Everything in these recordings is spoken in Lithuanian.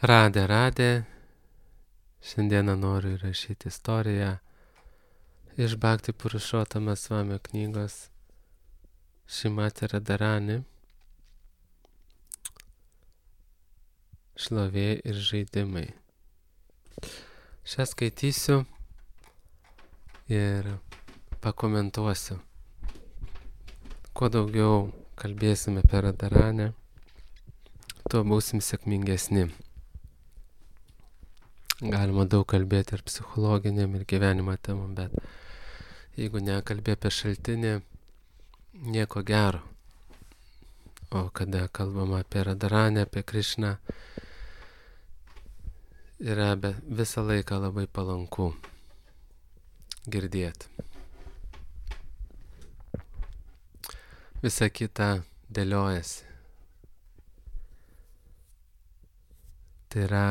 Radė. Šiandieną noriu įrašyti istoriją iš Bhakti Purušottama Swamio knygos Šrimati Radharani Šlovė ir žaidimai. Šią skaitysiu ir pakomentuosiu. Kuo daugiau kalbėsime apie Radharanę, tuo būsim sėkmingesni. Galima daug kalbėti ir psichologiniam, ir gyvenimo temom, bet jeigu nekalbė apie šaltinį, nieko gero. O kada kalbama apie Radharanę, apie Krišną, yra visą laiką labai palanku girdėti. Visa kita dėliojasi. Tai yra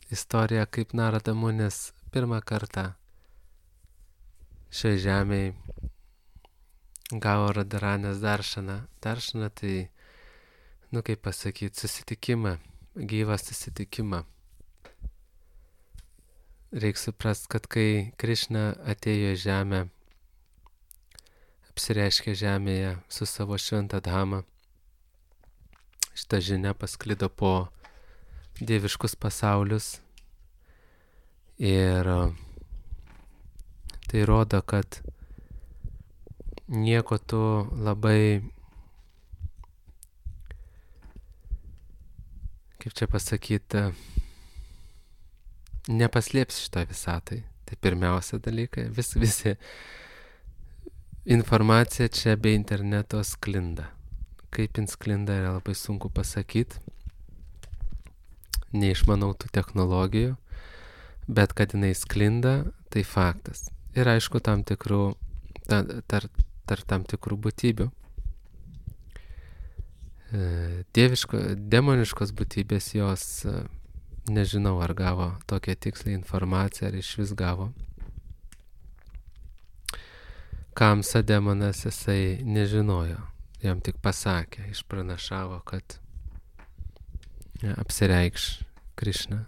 istorija, kaip Narada Munis pirmą kartą šiai žemėj gavo Radharanės daršaną. Daršaną tai, kaip pasakyti, susitikimą, gyvą susitikimą. Reikia suprasti, kad kai Krišna atėjo į žemę, apsireiškė žemėje su savo šventa dhama, šita žinia pasklido po dieviškus pasaulius ir tai rodo, kad nieko tu labai, kaip čia pasakyti, nepaslėpsi šitą visatai. Tai pirmiausia dalykai, visi informacija čia be interneto sklinda. Kaip jin sklinda yra labai sunku pasakyti. Neišmanau tų technologijų, bet kad jinai sklinda, tai faktas. Ir aišku, tam tikrų būtybių. Demoniškos būtybės jos, nežinau, ar gavo tokią tikslę informaciją, ar iš vis gavo. Kamsa demonas jisai nežinojo, jam tik pasakė, išpranašavo, kad apsireikš Krišna.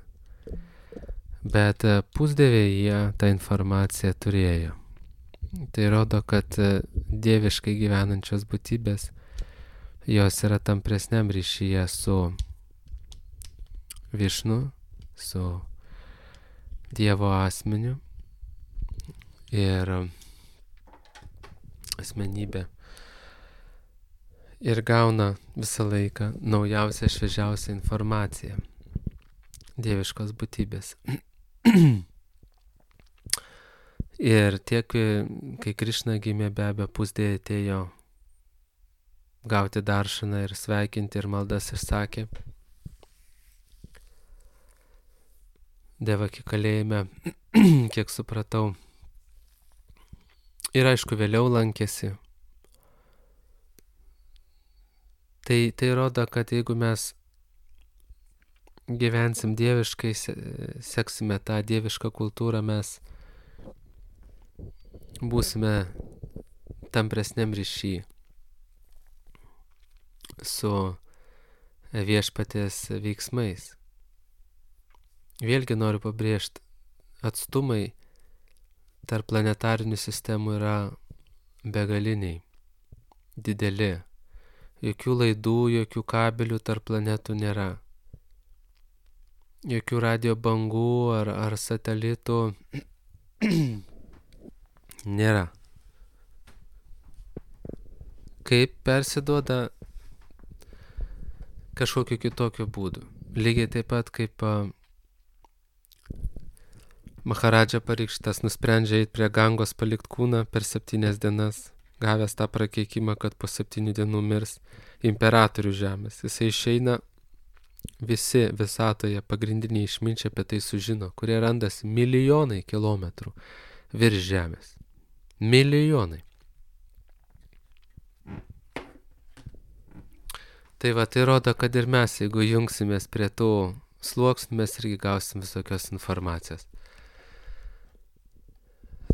Bet pusdieviai jie tą informaciją turėjo. Tai rodo, kad dieviškai gyvenančios būtybės, jos yra tampresniam ryšyje su Višnu, su Dievo asmeniu ir asmenybė. Ir gauna visą laiką naujausią, šviežiausią informaciją dieviškos būtybės. Ir tiek, kai Krišna gimė, be abejo, pusdieviai atėjo gauti daršaną ir sveikinti ir maldas išsakė. Devaki kalėjime, kiek supratau. Ir aišku, vėliau lankėsi. Tai rodo, kad jeigu mes gyvensim dieviškai, seksime tą dievišką kultūrą, mes būsime tampresniam ryšy su viešpaties veiksmais. Vėlgi noriu pabrėžti, atstumai tarp planetarinių sistemų yra begaliniai, dideli. Jokių laidų, jokių kabelių tarp planetų nėra. Jokių radio bangų ar satelitų nėra. Kaip persiduoda kažkokiu kitokiu būdu. Lygiai taip pat kaip Maharadža Parikšitas nusprendžia eiti prie Gangos palikt kūną per 7 dienas, gavęs tą prakeikimą, kad po 7 dienų mirs imperatorių žemės. Jisai išeina, visi visatoje pagrindiniai išminčiai apie tai sužino, kurie randasi milijonai kilometrų virš žemės. Milijonai. Tai tai rodo, kad ir mes, jeigu jungsimės prie tų sluoksnių, mes irgi gausim visokios informacijos.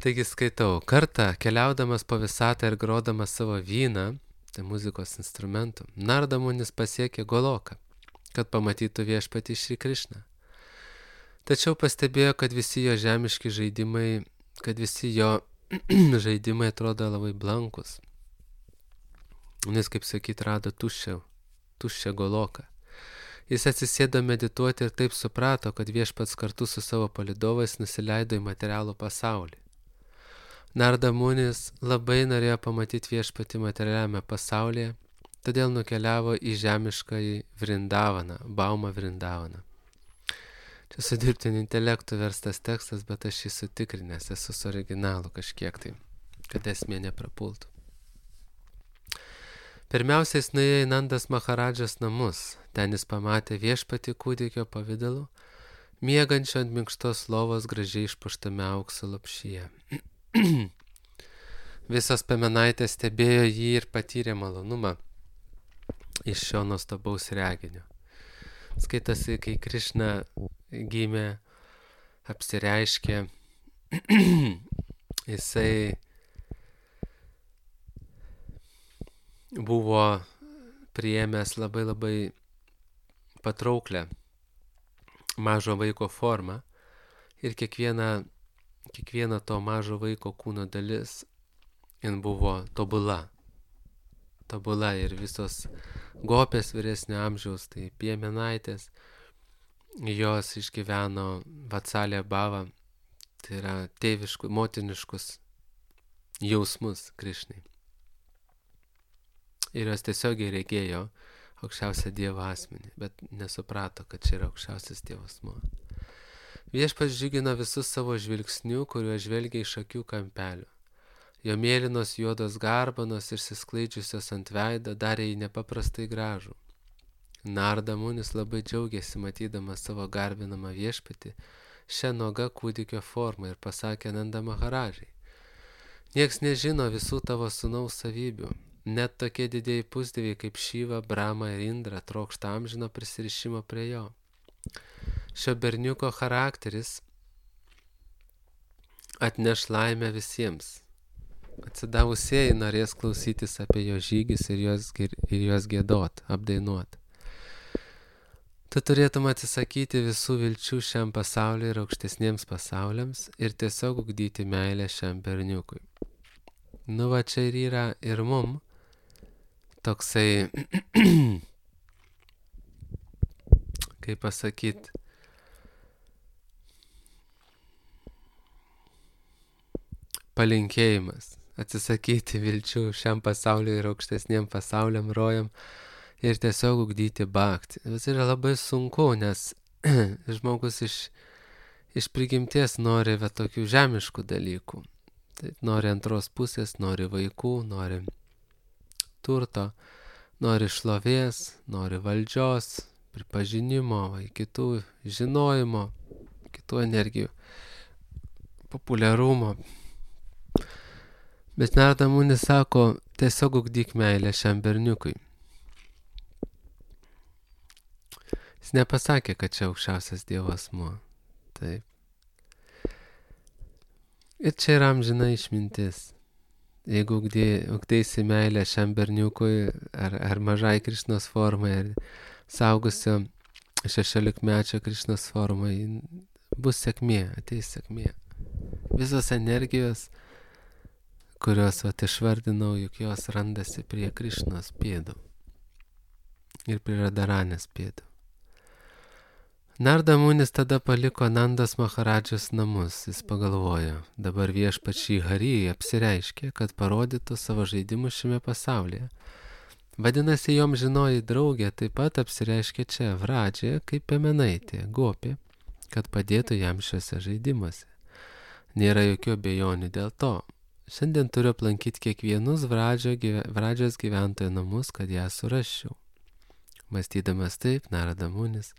Taigi skaitau, kartą keliaudamas po visatą ir grodamas savo vyną, tai muzikos instrumentų, Narada Munis pasiekė Goloką, kad pamatytų viešpatį Šri Krišną. Tačiau pastebėjo, kad visi jo žemiški žaidimai, žaidimai atrodo labai blankus. Jis, kaip sakyt, rado tuščią goloką. Jis atsisėdo medituoti ir taip suprato, kad viešpats kartu su savo palydovais nusileido į materialų pasaulį. Narda Munis labai norėjo pamatyti viešpatį materialiame pasaulyje, todėl nukeliavo į žemiškąjį Vrindavaną, Baumą Vrindavaną. Čia su dirbtiniu intelektu verstas tekstas, bet aš jį sutikrinęs, esu su originalu kažkiek tai, kad esmė neprapultų. Pirmiausia, jis nuėjo į Nandas Maharadžos namus. Ten jis pamatė viešpatį kūdikio pavidalu, miegančio ant minkštos lovos gražiai išpuštame aukso lopšyje. Visos piemenaitės stebėjo jį ir patyrė malonumą iš šio nuostabaus reginio. Skaitasi, kai Krišna gimė, apsireiškė, jisai buvo priėmęs labai patrauklę mažo vaiko formą ir kiekviena to mažo vaiko kūno dalis jin buvo tobula ir visos gopės vyresnio amžiaus, tai piemenaitės, jos išgyveno Vatsalya bhava, tai yra motiniškus jausmus Krišnai. Ir jos tiesiogiai regėjo aukščiausią Dievo asmenį, bet nesuprato, kad čia yra aukščiausias Dievo asmuo. Viešpats džiugino visus savo žvilgsnių, kuriuo žvelgia iš akių kampelių. Jo mėlynos juodos garbanos išsisklaidžiusios ant veido darė jį nepaprastai gražų. Narda Munis labai džiaugiasi matydamas savo garbinamą viešpatį šią nuogą kūdikio formą ir pasakė Nanda Maharadžai: nieks nežino visų tavo sūnaus savybių. Net tokie didieji pusdieviai kaip Šiva, Brahma ir Indra trokšta amžino prisirišimo prie jo. Šio berniuko charakteris atneš laimę visiems. Atsidavusieji norės klausytis apie jo žygius ir juos giedot, apdainuot. Tu turėtum atsisakyti visų vilčių šiam pasauliui ir aukštesniems pasauliams ir tiesiog ugdyti meilę šiam berniukui. Nu va čia ir yra ir mum toksai, kaip pasakyt, palinkėjimas. Atsisakyti vilčių šiam pasauliui ir aukštesniem pasauliam, rojam ir tiesiog ugdyti bhaktį. Tas yra labai sunku, nes žmogus iš prigimties nori tokių žemiškų dalykų. Tai nori antros pusės, nori vaikų, nori turto, nori šlovės, nori valdžios, pripažinimo, kitų žinojimo, kitų energijų, populiarumo. Bet Narda Munis sako, tiesiog ugdyk meilę šiam berniukui. Jis nepasakė, kad čia aukščiausias Dievo asmuo. Taip. Ir čia yra amžina išmintis. Jeigu ugdėsi meilę šiam berniukui ar mažai Krišnos formai, ar saugusio 16-mečio Krišnos formai, bus sėkmė, ateis sėkmė. Visos energijos, kurios išvardinau, juk jos randasi prie Krišnos pėdų ir prie Radharanės pėdų. Narda Munis tada paliko Nandos Maharadžos namus. Jis pagalvojo, dabar viešpats Šri Hari apsireiškė, kad parodytų savo žaidimus šiame pasaulyje. Vadinasi, jom žinoji draugė taip pat apsireiškė čia Vradžė kaip piemenaitė, gopė, kad padėtų jam šiuose žaidimuose. Nėra jokių abejonių dėl to. Šiandien turiu aplankyti kiekvienus Vradžios gyventojų namus, kad ją surasčiau. Mąstydamas taip, Narada Munis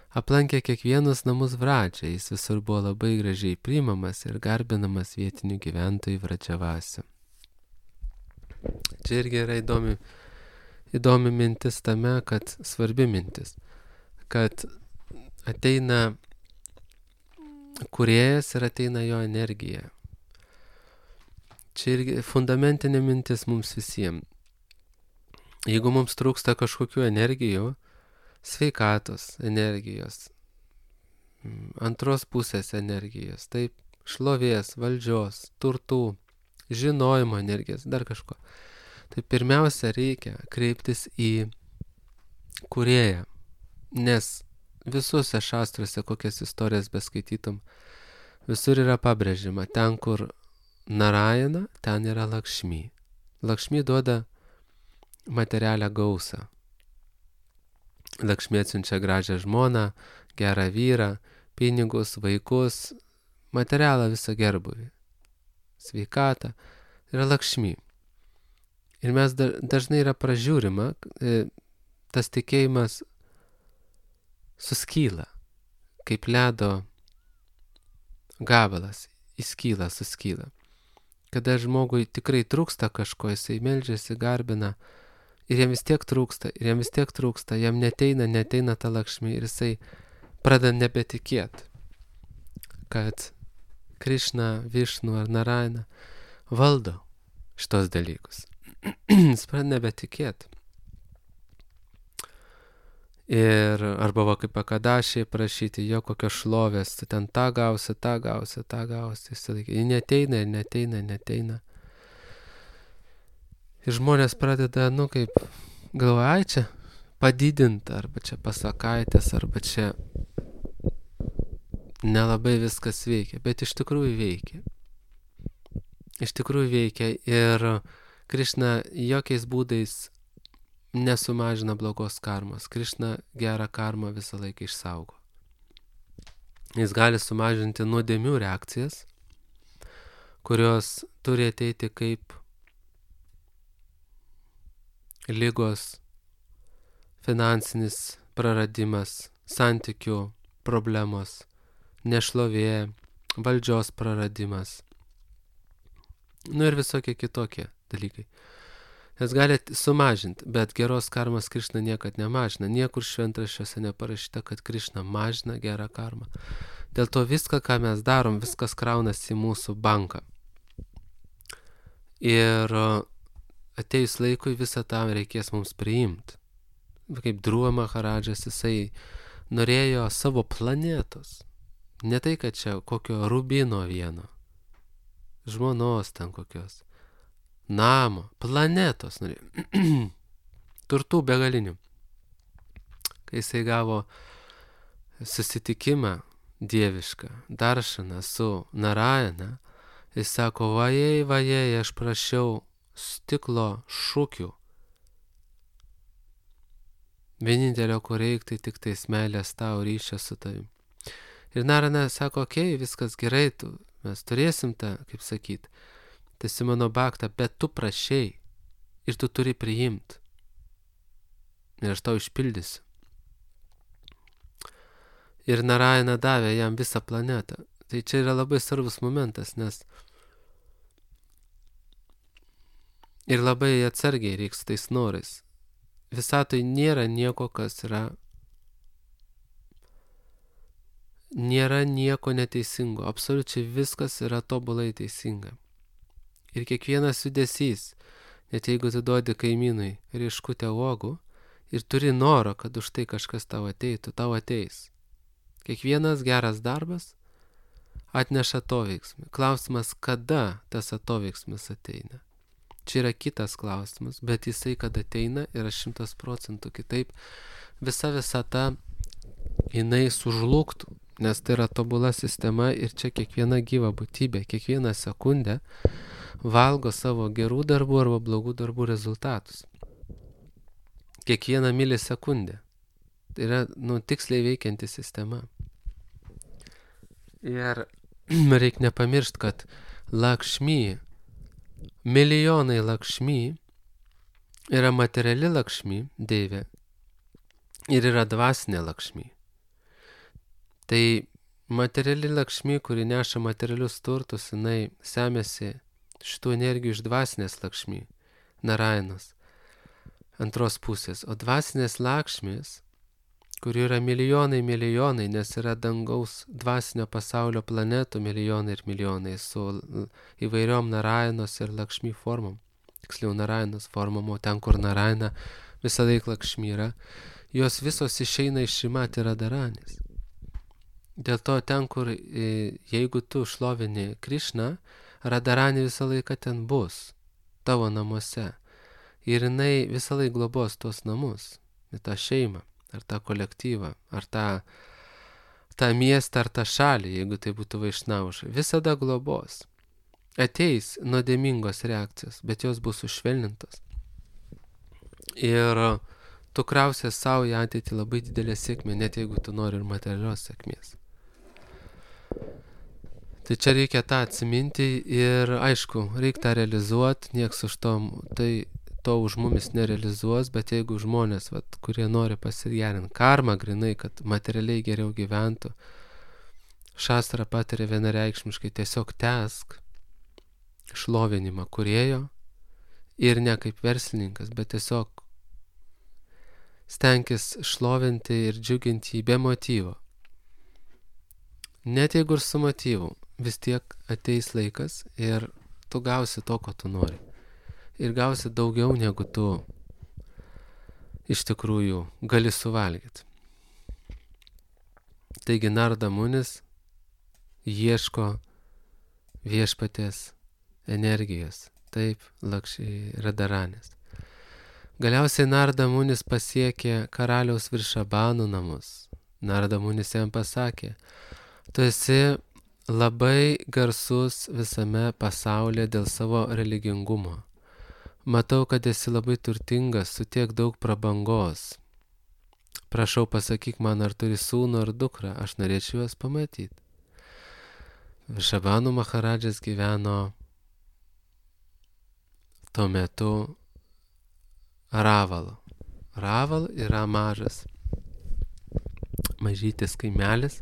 aplankė kiekvienus namus Vradžiai, jis visur buvo labai gražiai priimamas ir garbinamas vietinių gyventojų Vradžiavasių. Čia irgi yra įdomi mintis tame, kad svarbi mintis, kad ateina kūrėjas ir ateina jo energija. Čia irgi fundamentinė mintis mums visiems. Jeigu mums trūksta kažkokių energijų, sveikatos energijos, antros pusės energijos, taip, šlovės, valdžios, turtų, žinojimo energijos, dar kažko. Tai pirmiausia reikia kreiptis į kūrėją, nes visuose šastruose, kokias istorijas beskaitytum, visur yra pabrėžima, ten kur Narayana, ten yra Lakšmi. Lakšmi duoda materialią gausą. Lakšmi atsiunčia gražią žmoną, gerą vyrą, pinigus, vaikus, materialą visą gerbuvį, sveikatą. Yra Lakšmi. Ir mes dažnai yra pražiūrima, tas tikėjimas suskyla, kaip ledo gabalas, įskyla, suskyla. Kada žmogui tikrai trūksta kažko, jisai meldžiasi, garbina, ir jam vis tiek trūksta, jam neteina ta Lakšmi, ir jisai pradeda nebetikėti, kad Krišna, Višnu ar Narayana valdo šitos dalykus. Jis pradeda nebetikėti. Ir arba va kaip Akadašiai prašyti, jo kokios šlovės, tu ten tą gausi. Jis neteina. Ir žmonės pradeda, kaip galvoja, ai čia padidinti, arba čia pasakaitės, arba čia nelabai viskas veikia, bet iš tikrųjų veikia. Ir Krišna jokiais būdais nesumažina blogos karmos. Krišna gerą karmą visą laiką išsaugo. Jis gali sumažinti nuodėmių reakcijas, kurios turi ateiti kaip ligos, finansinis praradimas, santykių problemos, nešlovė, valdžios praradimas. Ir visokie kitokie dalykai. Jas gali sumažinti, bet geros karmos Krišna niekad nemažina. Niekur šventraščiuose neparašyta, kad Krišna mažina gerą karmą. Dėl to viską, ką mes darom, viskas kraunasi į mūsų banką. Ir atėjus laikui visą tą reikės mums priimti. Kaip Dhruva Maharadžas, jisai norėjo savo planetos. Ne tai, kad čia kokio rubino vieno, žmonos ten kokios, namo, planetos norėjo, turtų begalinių. Kai jisai gavo susitikimą dievišką, daršaną su Narayana, jis sako, vajei, aš prašiau stiklo šukių. Vienintelio, ko reik, tai tik tais meilės tau, ryšio su tavim. Ir Narayana sako, okei, viskas gerai, mes turėsim tą, kaip sakyt, tesi mano baktą, bet tu prašei ir tu turi priimti. Ir aš tau išpildysiu. Ir Narayana davė jam visą planetą. Tai čia yra labai svarbus momentas, nes ir labai atsargiai reiks tais norais. Visatoj nėra nieko, kas nėra nieko neteisingo. Absoliučiai viskas yra tobulai teisinga. Ir kiekvienas judesys, net jeigu tu duodi kaimynui rieškutę uogų ir turi noro, kad už tai kažkas tau ateitų, tau ateis. Kiekvienas geras darbas atneša atoveiksmį. Klausimas, kada tas atoveiksmis ateina. Čia yra kitas klausimas, bet jisai, kad ateina, yra 100% kitaip. Visa ta, jinai sužlugtų, nes tai yra tobula sistema ir čia kiekviena gyva būtybė, kiekvieną sekundę valgo savo gerų darbų arba blogų darbų rezultatus. Kiekvieną milisekundę. Tai yra, tiksliai veikianti sistema. Ir reikia nepamiršti, kad Lakšmi, milijonai Lakšmi yra materiali Lakšmi, deivė, ir yra dvasinė Lakšmi. Tai materiali Lakšmi, kuri neša materialius turtus, jinai semėsi šitų energijų iš dvasinės Lakšmi, Narayanos, antros pusės. O dvasinės Lakšmis, kurių yra milijonai, nes yra dangaus dvasinio pasaulio planetų milijonai ir milijonai su įvairiom Narayanos ir Lakšmi formom. Tiksliau Narayanos formom, o ten, kur Narayana visą laiką Lakšmi yra, jos visos išeina iš Šrimati Radharanės. Dėl to ten, kur jeigu tu šlovini Krišną, Radharanė visą laiką ten bus, tavo namuose. Ir jinai visą laiką globos tuos namus, tą šeimą, ar tą kolektyvą, ar tą miestą, ar tą šalį, jeigu tai būtų Vaišnauša. Visada globos. Ateis nuodėmingos reakcijos, bet jos bus sušvelnintos. Ir tu krausies savo į ateitį labai didelę sėkmę, net jeigu tu nori ir materialios sėkmės. Tai čia reikia tą atsiminti ir aišku, reikia tą realizuoti, nieks už to už mumis nerealizuos, bet jeigu žmonės, kurie nori pasigerinti karmą grinai, kad materialiai geriau gyventų, šastra patiria vienareikšmiškai tiesiog tęsk šlovinimą kūrėjo ir ne kaip verslininkas, bet tiesiog stenkis šlovinti ir džiuginti jį be motyvo. Net jeigu ir su motyvu, vis tiek ateis laikas ir tu gausi to, ko tu nori. Ir gausi daugiau, negu tu iš tikrųjų gali suvalgyti. Taigi Narada Munis ieško viešpaties energijos, taip, Radharanės. Galiausiai Narada Munis pasiekė karaliaus Vrišabano namus. Narada Munis jam pasakė, tu esi labai garsus visame pasaulyje dėl savo religingumo. Matau, kad esi labai turtingas su tiek daug prabangos. Prašau, pasakyk man, ar turi sūnų ar dukrą, aš norėčiau juos pamatyti. Vrišabano Maharadžas gyveno tuo metu Ravalo. Raval yra mažytis kaimelis.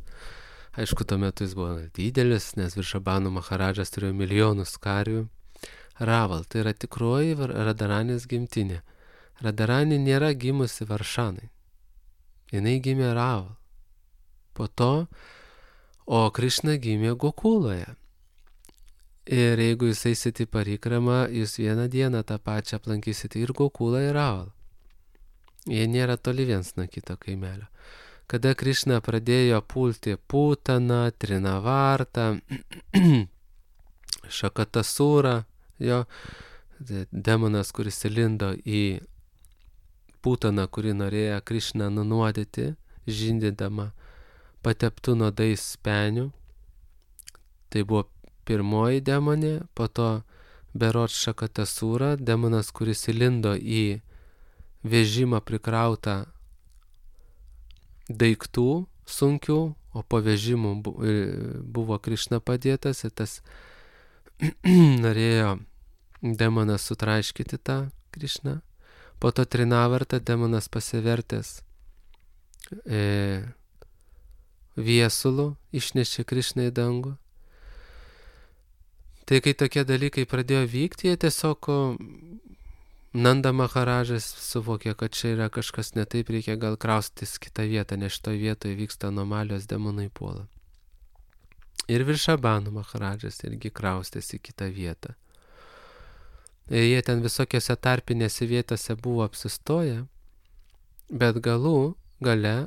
Aišku, tuo metu jis buvo didelis, nes Vrišabano Maharadžas turėjo milijonus karių. Raval, tai yra tikroji Radharanės gimtinė. Radharanė nėra gimusi Varšanai. Jinai gimė Raval. Po to, o Krišna gimė Gokuloje. Ir jeigu jūs eisite į parikramą, jūs vieną dieną tą pačią aplankysite ir Gokulą, ir Raval. Jie nėra toli viens nuo kito kaimelio. Kada Krišna pradėjo pulti Putaną, Trinavartą, Šakatasūrą, jo demonas, kuris įlindo į Putaną, kuri norėjo Krišną nunuodyti, žindydama pateptų nuodais spenių. Tai buvo pirmoji demonė, po to berods Šakatasūra, demonas, kuris įlindo į vežimą prikrautą daiktų sunkių, o po vežimu buvo Krišna padėtas ir tas norėjo demonas sutraiškyti tą Krišną. Po to Trinavartą demonas pasivertęs viesulų išnešė Krišną į dangų. Tai kai tokie dalykai pradėjo vykti, jie tiesiog Nanda Maharadžas suvokė, kad čia yra kažkas ne taip, reikia gal kraustytis kitą vietą, nes šitoje vietoje vyksta anomalijos, demonai puola. Ir Vrišabano Maharadžas irgi kraustėsi į kitą vietą. Ir jie ten visokiose tarpinėse vietose buvo apsistoję, bet gale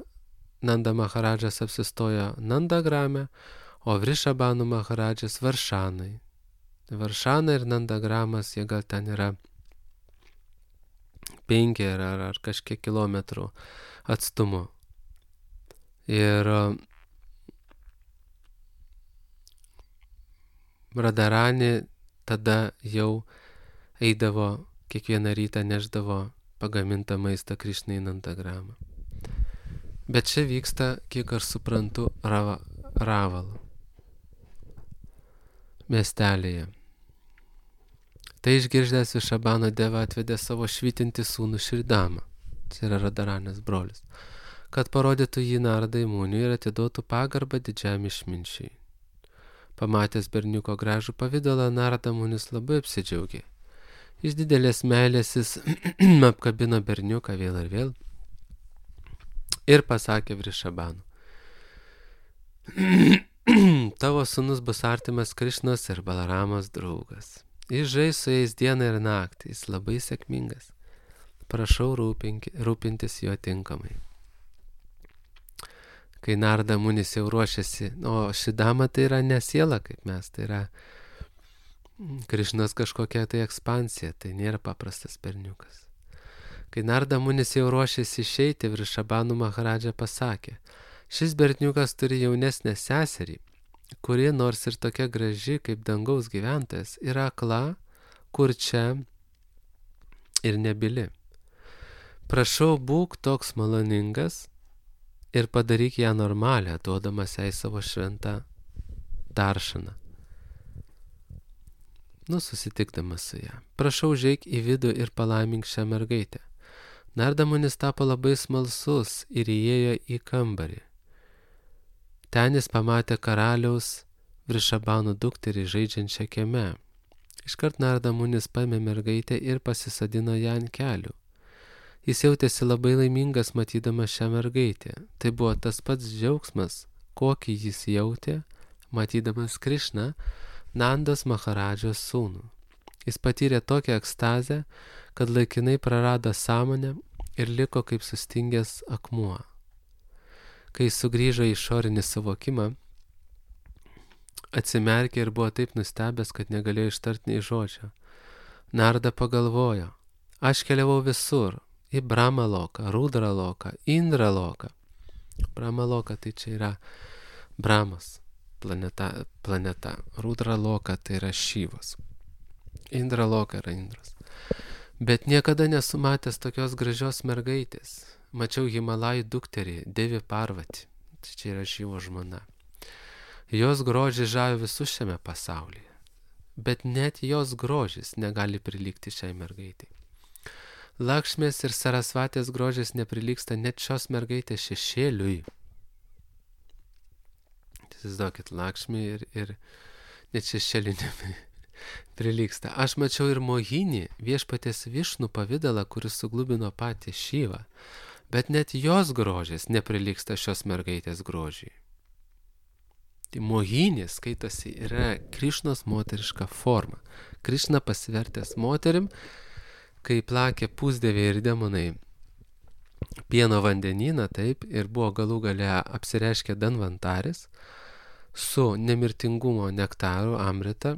Nanda Maharadžas apsistojo Nandagrame, o Vrišabano Maharadžas Varšanai. Varšana ir Nandagramas, jie gal ten yra 5 ar kažkiek kilometrų atstumu. Ir Radharanė tada jau eidavo, kiekvieną rytą neždavo pagamintą maistą Krišnai į Nandagramą. Bet čia vyksta, kiek aš suprantu, Ravalo miestelėje. Tai išgirdęs Vrišabano deva atvedė savo švytintį sūnų Šridamą, tai yra Radharanės brolis, kad parodytų jį Naradai Muniui ir atiduotų pagarbą didžiam išminčiui. Pamatęs berniuko gražų pavidalą, Narada Munis labai apsidžiaugė. Iš didelės meilės jis apkabino berniuką vėl ir vėl ir pasakė Vrišabanu: tavo sūnus bus artimas Krišnos ir Balaramos draugas. Jis žais su jais dieną ir naktį, jis labai sėkmingas. Prašau rūpintis juo tinkamai. kai Narda Munis jau ruošiasi, o Šidama tai yra ne siela kaip mes, tai yra Krišnos kažkokia tai ekspansija, tai nėra paprastas berniukas. Kai Narda Munis jau ruošėsi išeiti, Vrišabhanu Maharadža pasakė, šis berniukas turi jaunesnę seserį, kuri nors ir tokia graži kaip dangaus gyventojas, yra akla, kurčia ir nebyli. Prašau, būk toks maloningas ir padaryk ją normalią, duodamas jai savo šventą daršaną. Susitikdamas su ją. Prašau, žeik į vidų ir palaimink šią mergaitę. Narda Munis tapo labai smalsus ir įėjo į kambarį. Ten jis pamatė karaliaus Vrišabhano dukterį žaidžiančią kieme. Iškart Narda Munis paėmė mergaitę ir pasisadino ją ant kelių. Jis jautėsi labai laimingas matydamas šią mergaitę. Tai buvo tas pats džiaugsmas, kokį jis jautė, matydamas Krišną, Nandos Maharadžos sūnų. Jis patyrė tokią ekstazę, kad laikinai prarado sąmonę ir liko kaip sustingęs akmuo. Kai jis sugrįžo į išorinį suvokimą, atsimerkė ir buvo taip nustebęs, kad negalėjo ištarti nei žodžio. Narda pagalvojo, aš keliavau visur, į Brahmaloką, Rudraloką, Indraloką. Brahmaloka tai čia yra Brahmas planeta. Rudraloka tai yra Šyvas. Indraloka yra Indras. Bet niekada nesu matęs tokios gražios mergaitės. Mačiau Himalajų dukterį, Devi Parvati. Tai čia yra Šyvo žmona. Jos grožis žavi visus šiame pasaulyje. Bet net jos grožis negali prilygti šiai mergaitai. Lakšmės ir Sarasvatės grožis neprilygsta net šios mergaitės šešėliui. Įsivaizduokit, Lakšmį ir net šešėliui neprilygsta. Aš mačiau ir Mohinį, viešpaties Višnų pavidalą, kuris suglubino patį Šyvą. Bet net jos grožis neprilygsta šios mergaitės grožiai. Tai Mohinė, skaitosi, yra Krišnos moteriška forma. Krišna pasivertęs moterim, kai plakė pusdieviai ir demonai pieno vandenyną, taip, ir buvo galų gale apsireiškę Danvantaris su nemirtingumo nektaru Amrita.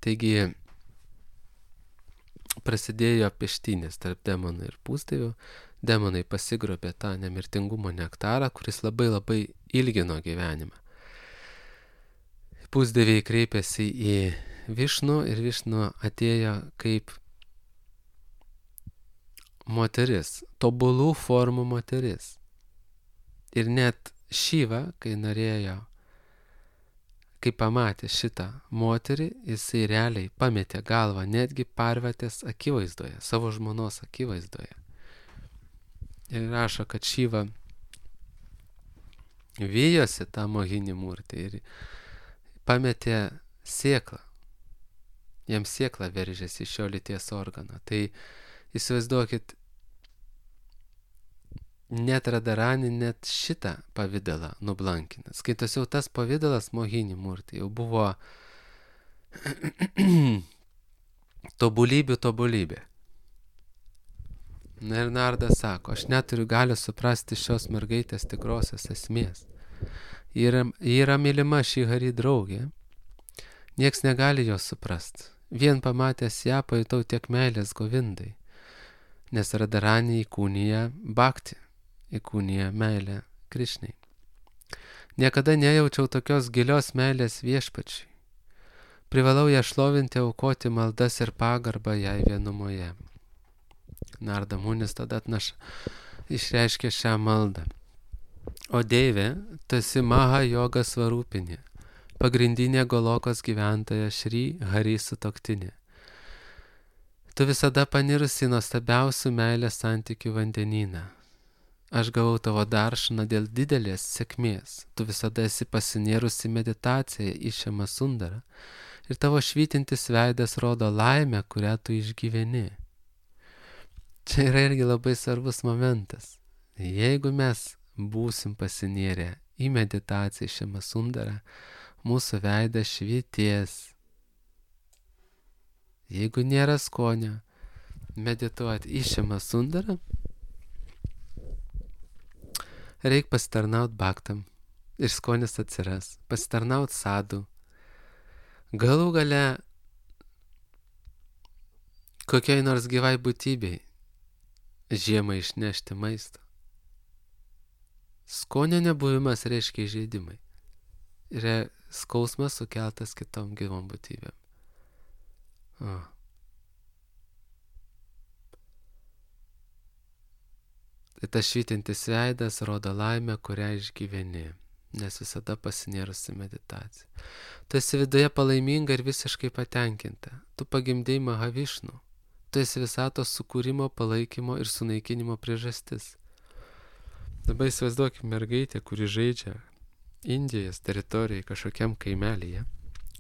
Taigi prasidėjo peštynės tarp demonų ir pusdievių. Demonai pasigrobė tą nemirtingumo nektarą, kuris labai labai ilgino gyvenimą. Pusdieviai kreipėsi į Višnų ir Višnų atėjo kaip moteris, tobulų formų moteris. Ir net Šyva, kai norėjo, kai pamatė šitą moterį, jisai realiai pametė galvą netgi Parvatės akivaizdoje, savo žmonos akivaizdoje. Ir rašo, kad Šyva vijosi tą Mohinį murtį ir pametė sėklą. Jam sėkla veržėsi iš šio lyties organą. Tai įsivaizduokit, net Radharani net šitą pavidalą nublankina. Skaitos jau tas pavidalas Mohinį murtį jau buvo tobulybė. Na ir Narda sako, aš neturiu galios suprasti šios mergaitės tikrosios esmės. Ji yra mylima Šihari draugė. Nieks negali jos suprasti. Vien pamatęs ją pajutau tiek meilės Govindai. Nes Radharani įkūnija bhakti, įkūnija meilę Krišnai. Niekada nejaučiau tokios gilios meilės viešpačiui. Privalau ją šlovinti, aukoti maldas ir pagarbą jai vienumoje. Narda Munis tada išreiškė šią maldą. O Deivė, tu esi Maha Yoga svarūpinė, pagrindinė Golokos gyventoja Šri Hari sutuoktinė. Tu visada panirusi nuostabiausių meilės santykių vandenyną. Aš gavau tavo daršaną dėl didelės sėkmės. Tu visada esi pasinėrusi meditaciją į Šiamą Sundarą ir tavo švytintis veidas rodo laimę, kurią tu išgyveni. Čia yra irgi labai svarbus momentas. Jeigu mes būsim pasinėrę į meditaciją į Šiamą Sundarą, mūsų veidas švytės. Jeigu nėra skonio medituoti į Šiamą Sundarą, Reik pasitarnaut baktam ir skonis atsiras, pasitarnaut sadų. Galų gale kokiai nors gyvai būtybei žiemą išnešti maisto. Skonio nebuvimas reiškia įžeidimai. Yra skausmas sukeltas kitom gyvom būtybėm. Tai tas švytintis veidas rodo laimę, kurią išgyveni, nes visada pasinėrusi meditacija. Tu esi viduje palaiminga ir visiškai patenkinta. Tu pagimdei Mahavišnu. Tu esi visatos sukūrimo, palaikymo ir sunaikinimo priežastis. Dabar įsivaizduokime mergaitę, kuri žaidžia Indijos teritorijai kažkokiam kaimelyje,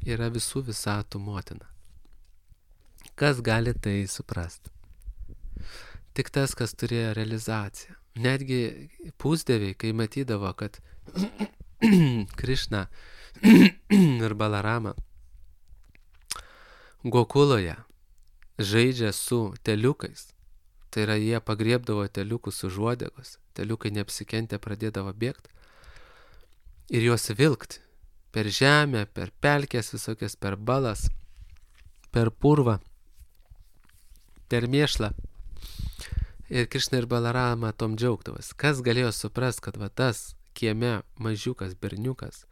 yra visų visatų motina. Kas gali tai suprasti? Tik tas, kas turėjo realizaciją. Netgi pusdieviai, kai matydavo, kad Krišna ir Balarama Gokuloje žaidžia su teliukais, tai yra jie pagriebdavo teliukus už uodegos, teliukai neapsikentę pradėdavo bėgti ir juos vilkti per žemę, per pelkės visokias, per balas, per purvą, per mėšlą. Ir Krišna ir Balarama tom džiaugdavas. Kas galėjo suprast, kad va tas kieme mažiukas berniukas,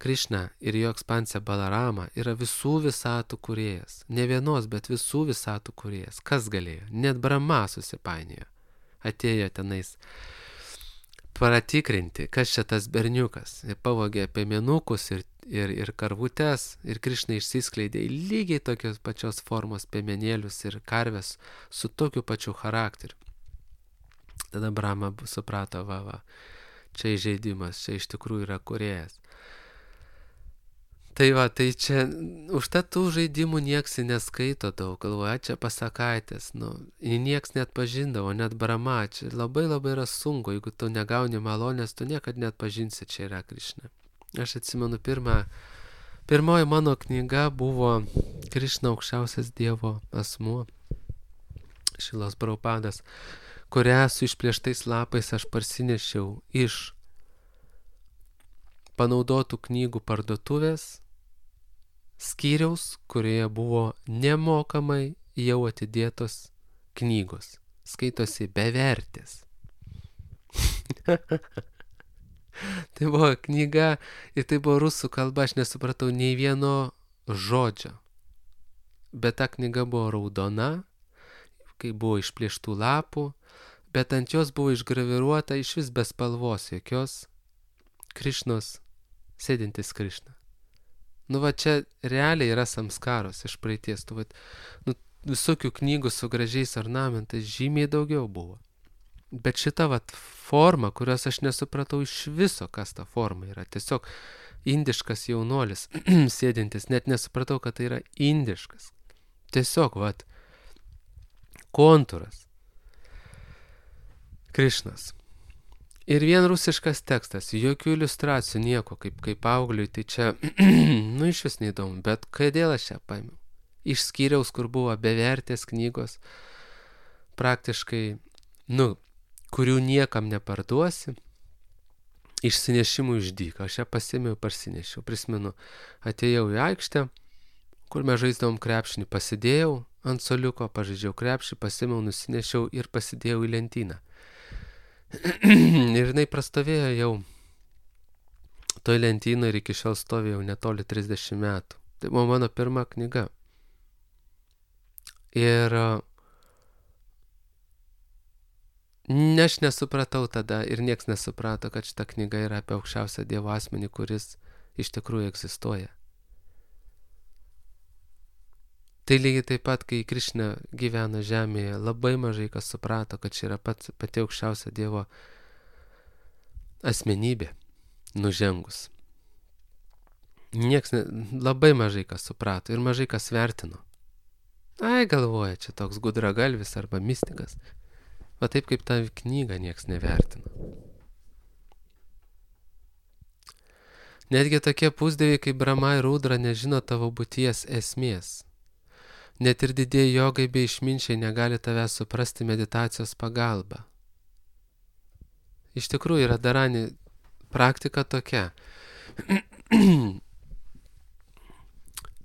Krišna ir jo ekspansija Balarama yra visų visatų kūrėjas. Ne vienos, bet visų visatų kūrėjas. Kas galėjo? Net Brahma susipainiojo. Atėjo tenais pratikrinti, kas čia tas berniukas. Ir pavogė piemenukus ir karvutes. Ir Krišna išsiskleidė į lygiai tokios pačios formos piemenėlius ir karves su tokiu pačiu charakteriu. Tada Brahma suprato, čia įžeidimas, čia iš tikrųjų yra kūrėjas. Tai tai čia, užtat tų žaidimų nieks neskaito daug, galvoja, čia pasakaitės, nieks net pažindavo, net Brahma, čia labai yra sunku, jeigu tu negauni malonės, tu niekad net pažinsi, čia yra Krišna. Aš atsimenu, pirmoji mano knyga buvo Krišna aukščiausias Dievo asmuo, Šilos Prabhupadas, kurią su išplėštais lapais aš parsinešiau iš panaudotų knygų parduotuvės skyriaus, kurioje buvo nemokamai jau atidėtos knygos. Skaitosi bevertės. Tai buvo knyga ir tai buvo rusų kalba, aš nesupratau nei vieno žodžio. Bet ta knyga buvo raudona, kai buvo išplėštų lapų, bet ant jos buvo išgraviruota iš vis be spalvos jokios Krišnos, sėdintis Krišna. Čia realiai yra samskaros iš praeities. Visokių knygų su gražiais ornamentais žymiai daugiau buvo. Bet šita forma, kurios aš nesupratau iš viso, kas ta forma yra. Tiesiog indiškas jaunuolis sėdintis, net nesupratau, kad tai yra indiškas. Tiesiog, kontūras. Krišnas. Ir vien rusiškas tekstas, jokių iliustracijų, nieko, kaip paaugliui, tai čia, iš vis neįdomu, bet kodėl aš čia paėmiau? Iš skyriaus, kur buvo bevertės knygos, praktiškai, kurių niekam neparduosi, išsinešimų iš dyką. Aš ją pasėmiau, parsinešiau, prisimenu, atėjau į aikštę, kur mes žaisdavom krepšinį, pasidėjau ant soliuko, pažaidžiau krepšį, pasėmiau, nusinešiau ir pasidėjau į lentyną. Ir jinai prastovėjo jau toj lentynoje ir iki šiol stovėjau netoli 30 metų. Tai buvo mano pirma knyga. Ir aš nesupratau tada ir nieks nesuprato, kad šita knyga yra apie aukščiausią Dievo asmenį, kuris iš tikrųjų egzistuoja. Tai lygiai taip pat, kai Krišna gyveno žemėje, labai mažai kas suprato, kad čia yra pati aukščiausia Dievo asmenybė nužengus. Labai mažai kas suprato ir mažai kas vertino. Galvoja, čia toks gudragalvis arba mistikas. Taip kaip tą knygą nieks nevertino. Netgi tokie pusdieviai kaip Brahma ir Rudra nežino tavo būties esmės. Net ir didieji jogai bei išminčiai negali tavęs suprasti meditacijos pagalba. Iš tikrųjų, Radharani praktika tokia.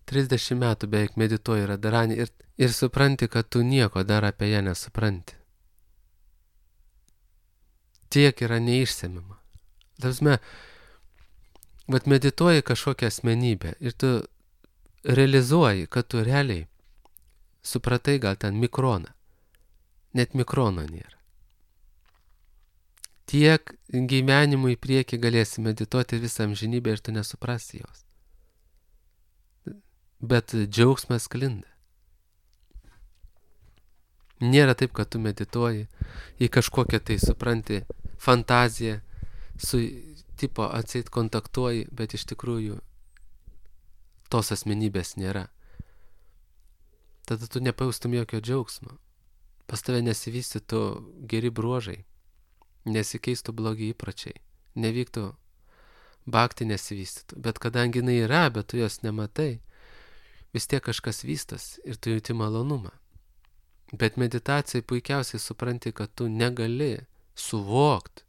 30 metų beveik medituoji Radharani ir supranti, kad tu nieko dar apie ją nesupranti. Tiek yra neišsemima. Tarpsme, vat medituoji kažkokią asmenybę ir tu realizuoji, kad tu realiai supratai gal ten mikroną. Net mikrono nėra. Tiek gyvenimų į priekį galėsi medituoti visą amžinybę ir tu nesuprasi jos. Bet džiaugsmas sklinda. Nėra taip, kad tu medituoji į kažkokią tai, supranti, fantaziją, su tipo atseit kontaktuoji, bet iš tikrųjų tos asmenybės nėra. Tada tu nepajaustum jokio džiaugsmo. Pas tave nesivystytų geri bruožai, nesikeistų blogi įpročiai, nevyktų bhakti nesivystytų. Bet kadangi jinai yra, bet tu jos nematai, vis tiek kažkas vystas ir tu jauti malonumą. Bet meditacijai puikiausiai supranti, kad tu negali suvokti,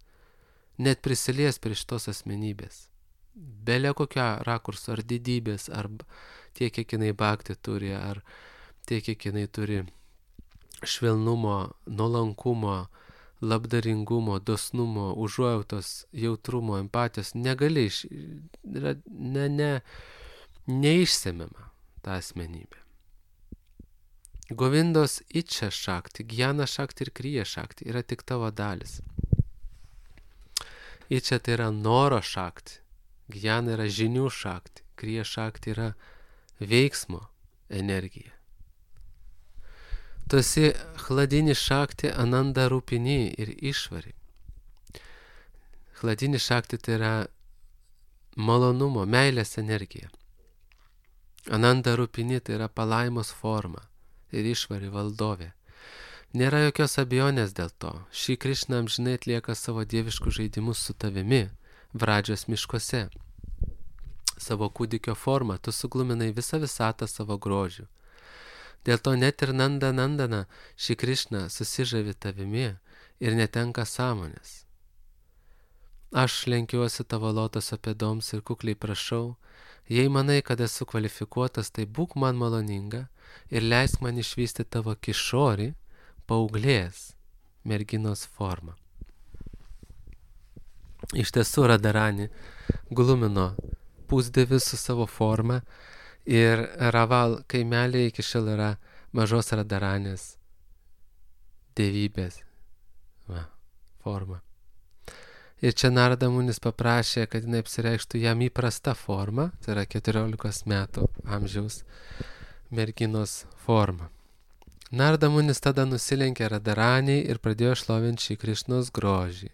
net prisilies prie šitos asmenybės. Belė kokio rakurso, ar didybės, ar tiek, kiek jinai bhakti turi, ar tiek, kiek jinai turi švelnumo, nuolankumo, labdaringumo, dosnumo, užuojautos, jautrumo, empatijos, negali neišsemiama ta asmenybė. Govindos ičia šakti, gyana šakti ir kryja šakti yra tik tavo dalis. Ičia tai yra noro šakti, gyana yra žinių šakti, kryja šakti yra veiksmo energija. Tu esi chladini šakti ananda rūpini ir išvari. Chladini šakti tai yra malonumo, meilės energija. Ananda rūpini tai yra palaimos forma ir išvari valdovė. Nėra jokios abejonės dėl to. Šį Krišna amžinai atlieka savo dieviškus žaidimus su tavimi, Vradžios miškuose. Savo kūdikio formą tu sugluminai visą visatą savo grožių. Dėl to net ir Nandana šį Krišna susižavi tavimi ir netenka sąmonės. Aš lenkiuosi tavo lotoso pėdoms ir kukliai prašau, jei manai, kad esu kvalifikuotas, tai būk man maloninga ir leisk man išvysti tavo kišorį, paauglės merginos formą. Iš tiesų Radharani glumino pusdievių su savo forma ir Raval kaimelė iki šiol yra mažos Radharanės dievybės forma. Ir čia Narada Munis paprašė, kad jinai apsireikštų jam įprasta forma, tai yra 14 metų amžiaus merginos forma. Narada Munis tada nusilenkė Radharaniai ir pradėjo šlovinti šį Krišnos grožį.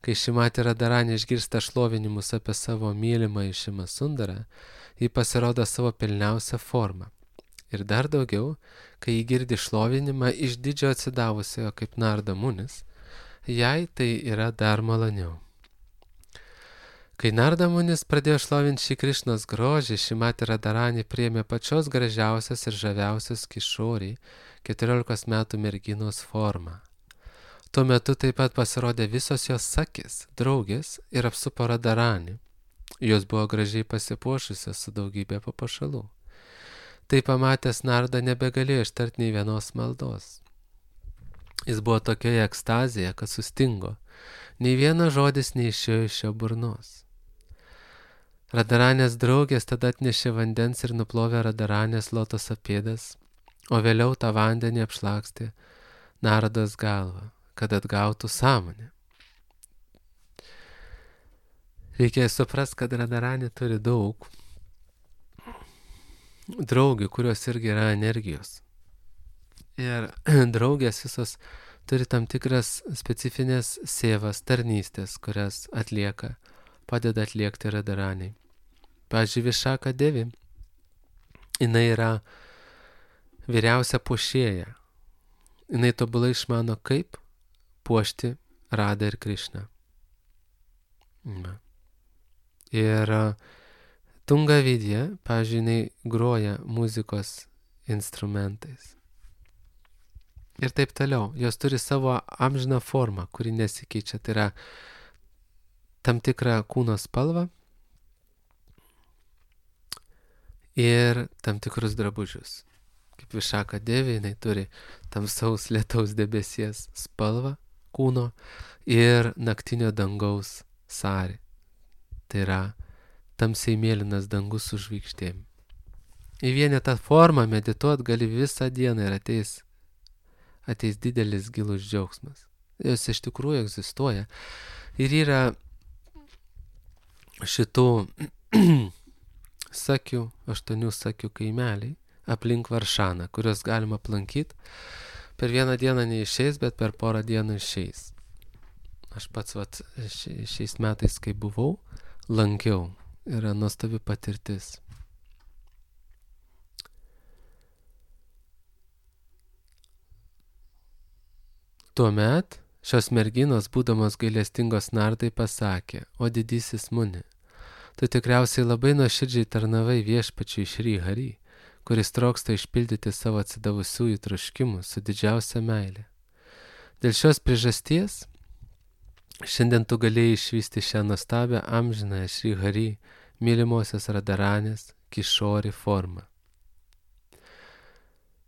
Kai Šimati Radharani išgirsta šlovinimus apie savo mylimą Šimą Sundarą, ji pasirodo savo pilniausią formą. Ir dar daugiau, kai ji girdi šlovinimą iš didžio atsidavusiojo kaip Narada Munis, jai tai yra dar maloniau. Kai Narada Munis pradėjo šlovinti šį Krišnos grožį, Šimati Radharani priėmė pačios gražiausios ir žaviausios kišorį 14 metų merginos formą. Tuo metu taip pat pasirodė visos jos sakis, draugės ir apsupo Radharani. Jos buvo gražiai pasipuošusios su daugybė papuošalų. Tai pamatęs Narada nebegalėjo ištarti nei vienos maldos. Jis buvo tokioje ekstazėje, kad sustingo. Nei vienas žodis neišėjo iš jo burnos. Radharanės draugės tada atnešė vandens ir nuplovė Radharanės lotoso pėdas, o vėliau tą vandenį apšlakstė Narados galvą, kad atgautų sąmonę. Reikia suprasti, kad Radharani turi daug draugių, kurios irgi yra energijos. Ir draugės visos turi tam tikras specifinės sėvas, tarnystės, kurias atlieka, padeda atliekti Radharaniai. Pavyzdžiui, Višaka Devi, jinai yra vyriausia puošėja. Jinai tobulai išmano, kaip puošti Radą ir Krišną. Ir Tunga Vidya, pavyzdžiui, jinai groja muzikos instrumentais. ir taip toliau. Jos turi savo amžiną formą, kuri nesikeičia. Tai yra tam tikrą kūno spalvą ir tam tikrus drabužius. Kaip Višaka Devė, jinai turi tamsaus lietaus debesies spalvą kūno ir naktinio dangaus sarį. Tai yra tamsiai mėlynas dangus su žvaigždėm. Į vienetą formą medituot gali visą dieną ir ateis didelis gilus džiaugsmas. Jos iš tikrųjų egzistuoja. Ir yra šitų sakių, 8 sakių kaimeliai aplink Varšaną, kuriuos galima aplankyti. Per vieną dieną neišeis, bet per porą dienų išeis. Aš pats šiais metais, kai buvau, lankiau. Yra nuostabi patirtis. Tuomet šios merginos, būdamos gailestingos nardai, pasakė: o didysis Muni, tu tikriausiai labai nuoširdžiai tarnavai viešpačiui Šri Hari, kuris troksta išpildyti savo atsidavusiųjų troškimus su didžiausia meilė. Dėl šios priežasties šiandien tu galėjai išvysti šią nuostabią amžinąją Šri Hari mylimosios Radaranės Kišori formą.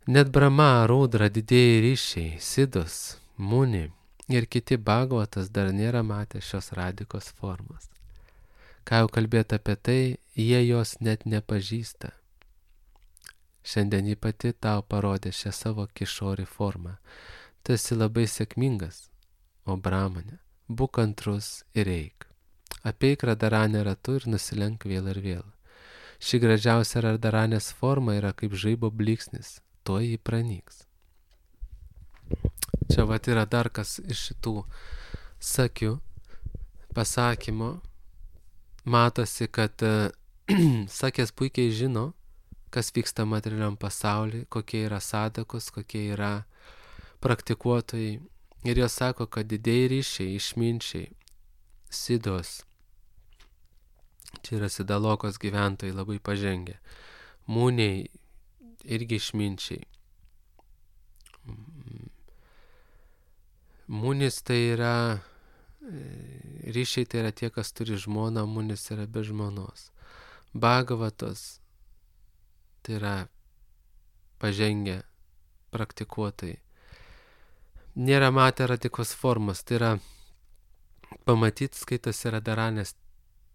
Net Brahma, Rudra, didieji ryšiai, Sidos, Muni ir kiti Bhagavatas dar nėra matę šios radikos formos. Ką jau kalbėti apie tai, jie jos net nepažįsta. Šiandien ji pati tau parodė šią savo Kišori formą. Tu esi labai sėkmingas, o Brahmane, būk kantrus ir eik. Apeik Radaranę ratu ir nusilenk vėl ir vėl. Ši gražiausia Radaranės forma yra kaip žaibo blyksnis, tuoj jį pranyks. Čia yra dar kas iš šitų sakių pasakymo. Matosi, kad sakės puikiai žino, kas vyksta materialiam pasaulyje, kokie yra sadakos, kokie yra praktikuotojai. Ir jos sako, kad didieji ryšiai, išminčiai, Sidos, čia yra Sidalokos gyventojai labai pažengę, Muniai irgi išminčiai. Munis tai yra, ryšiai tai yra tie, kas turi žmoną, Munis yra be žmonos. Bhagavatos tai yra pažengę praktikuotojai. Nėra matę radikos formos, tai yra pamatyti, skaitosi Radaranės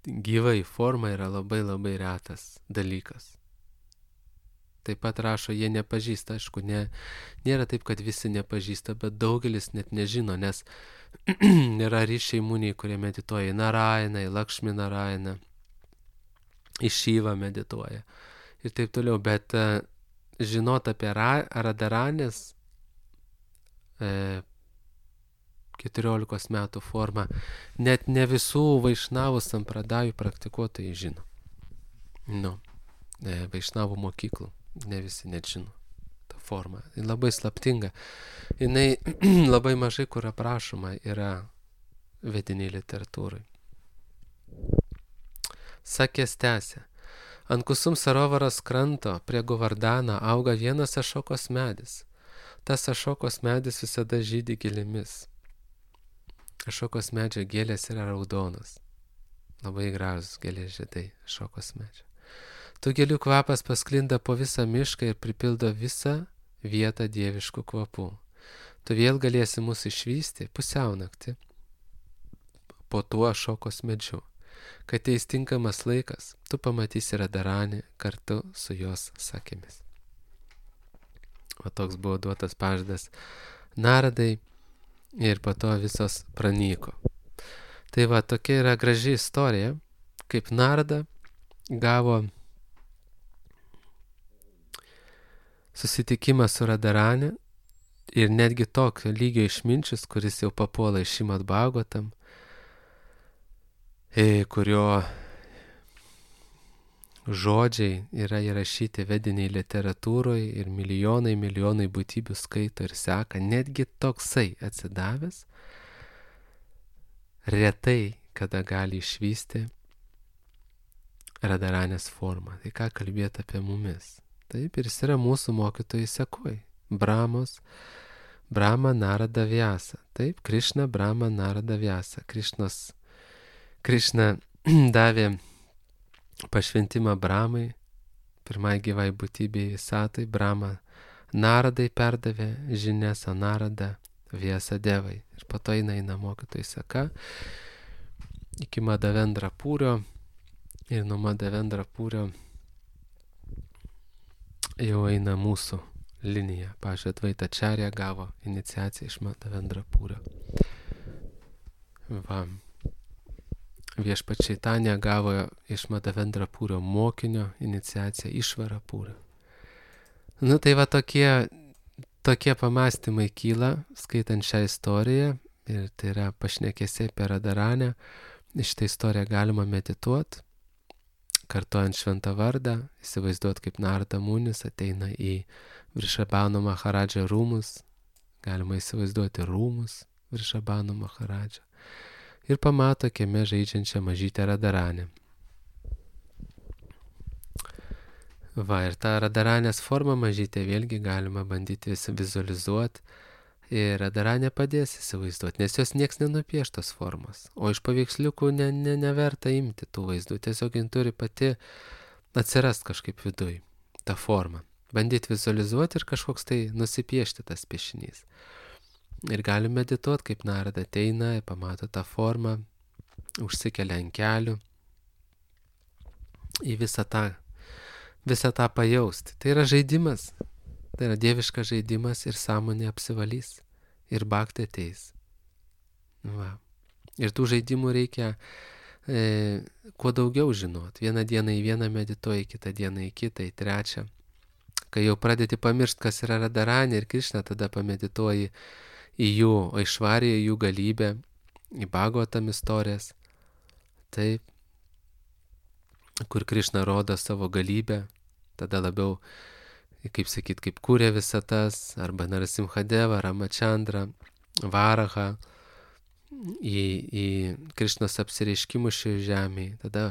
gyvai forma yra labai labai retas dalykas. Taip pat rašo, jie nepažįsta, aišku, nėra taip, kad visi nepažįsta, bet daugelis net nežino, nes yra ryšiai Muniai, kurie medituoja į Narainą, į Lakšmi Narainą, į Šyvą medituoja ir taip toliau, bet žinot apie Radaranės 14 metų formą, net ne visų Vaišnavų sampradajų praktikuotojai žino. Vaišnavų mokyklų. Ne visi net žino tą formą. Ji labai slaptinga. Jinai labai mažai kur aprašoma yra vediniai literatūrai. Sakės tęsė. Ant Kusum Sarovaros kranto prie Govardhano auga vienas ašokos medis. Tas ašokos medis visada žydi gėlėmis. Ašokos medžio gėlės yra raudonos. Labai gražus gėlės žiedai ašokos medžio. Tų gėlių kvapas pasklinda po visą mišką ir pripildo visą vietą dieviškų kvapų. Tu vėl galėsi mus išvysti pusiaunaktį po tuo ašokos medžiu. Kai ateis tinkamas laikas, tu pamatysi Radaranį kartu su jos sakėmis. O toks buvo duotas pažadas Naradai ir po to visos pranyko. Tai tokia yra graži istorija, kaip Narada gavo susitikimą su Radaranė ir netgi tokio lygio išminčius, kuris jau papuola iš Šrimad Bhagavatam, kurio žodžiai yra įrašyti vediniai literatūroje ir milijonai būtybių skaito ir seka, netgi toksai atsidavęs retai kada gali išvysti Radaranės formą. Tai ką kalbėti apie mumis? Taip, ir jis yra mūsų mokytojai sekoj. Brahmos, Brahma Narada Vyasa. Taip, Krišna, Brahma Narada Vyasa. Krišna davė pašventimą Brahmai, pirmai gyvai būtybei Satai, Brahma Naradai perdavė žinias, o Narada Vyasa Devai. Ir po to eina mokytojų seka iki Madhavendra Pūrio. Ir nuo Madhavendra Pūrio jau eina mūsų linija. Pavyzdžiui, Advaita Acharya gavo iniciaciją iš Madhavendra Pūrio. Va. Viešpats Čaitanija gavo iš Madhavendra Pūrio mokinio iniciaciją Išvara Pūrio. Nu tai va tokie pamastymai kyla, skaitant šią istoriją, ir tai yra pašnekesiai apie Radharanę. Šitą istoriją galima medituoti, kartojant šventą vardą, įsivaizduoti, kaip Narada Munis ateina į Vrišabhanu Maharadžą rūmus, galima įsivaizduoti rūmus Vrišabhanu Maharadžą, ir pamato kieme žaidžiančią mažytę Radharanę. Va, ir tą Radharanės formą mažytę vėlgi galima bandyti vizualizuoti, ir Radharanė padės įsivaizduoti, nes jos nieks nenupieštos formos, o iš paveiksliukų neverta imti tų vaizdų, tiesiog jin turi pati atsirast kažkaip viduj, tą formą. Bandyti vizualizuoti ir kažkoks tai nusipiešti tas piešinys. Ir gali medituoti, kaip Narada ateina, pamato tą formą, užsikelia ant kelių, į visą tą pajausti. Tai yra žaidimas, tai yra dieviškas žaidimas, ir sąmonė apsivalys, ir bhakti ateis. Va. Ir tų žaidimų reikia kuo daugiau žinot. Vieną dieną į vieną medituoji, kitą dieną į kitą, į trečią. Kai jau pradėti pamiršti, kas yra Radharanė ir Krišna, tada pamedituoji į jų Aišvariją, jų galybę, į Bhagavatam istorijas, taip, kur Krišna rodo savo galybę, tada labiau, kaip sakyt, kaip kūrė visatas, arba Narasimhadeva, Ramachandra, Varaha, į Krišnos apsireiškimus šioje žemėje, tada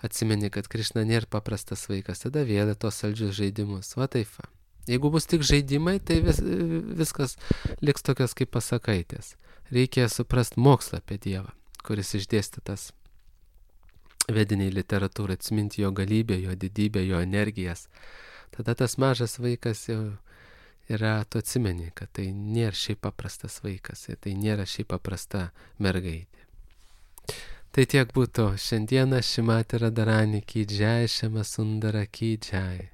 atsimeni, kad Krišna nėra paprastas vaikas, tada vėl tos saldžius žaidimus, va taip va. Jeigu bus tik žaidimai, tai viskas liks tokios kaip pasakaitės. Reikia suprasti mokslą apie Dievą, kuris išdėstytas vediniai literatūrai, atsiminti jo galybę, jo didybę, jo energijas. Tada tas mažas vaikas jau yra, tu atsimeni, kad tai nėra šiaip paprastas vaikas, tai nėra šiaip paprasta mergaitė. Tai tiek būtų šiandieną. Šrimati Radharani ki džai, Šiama Sundara ki džai.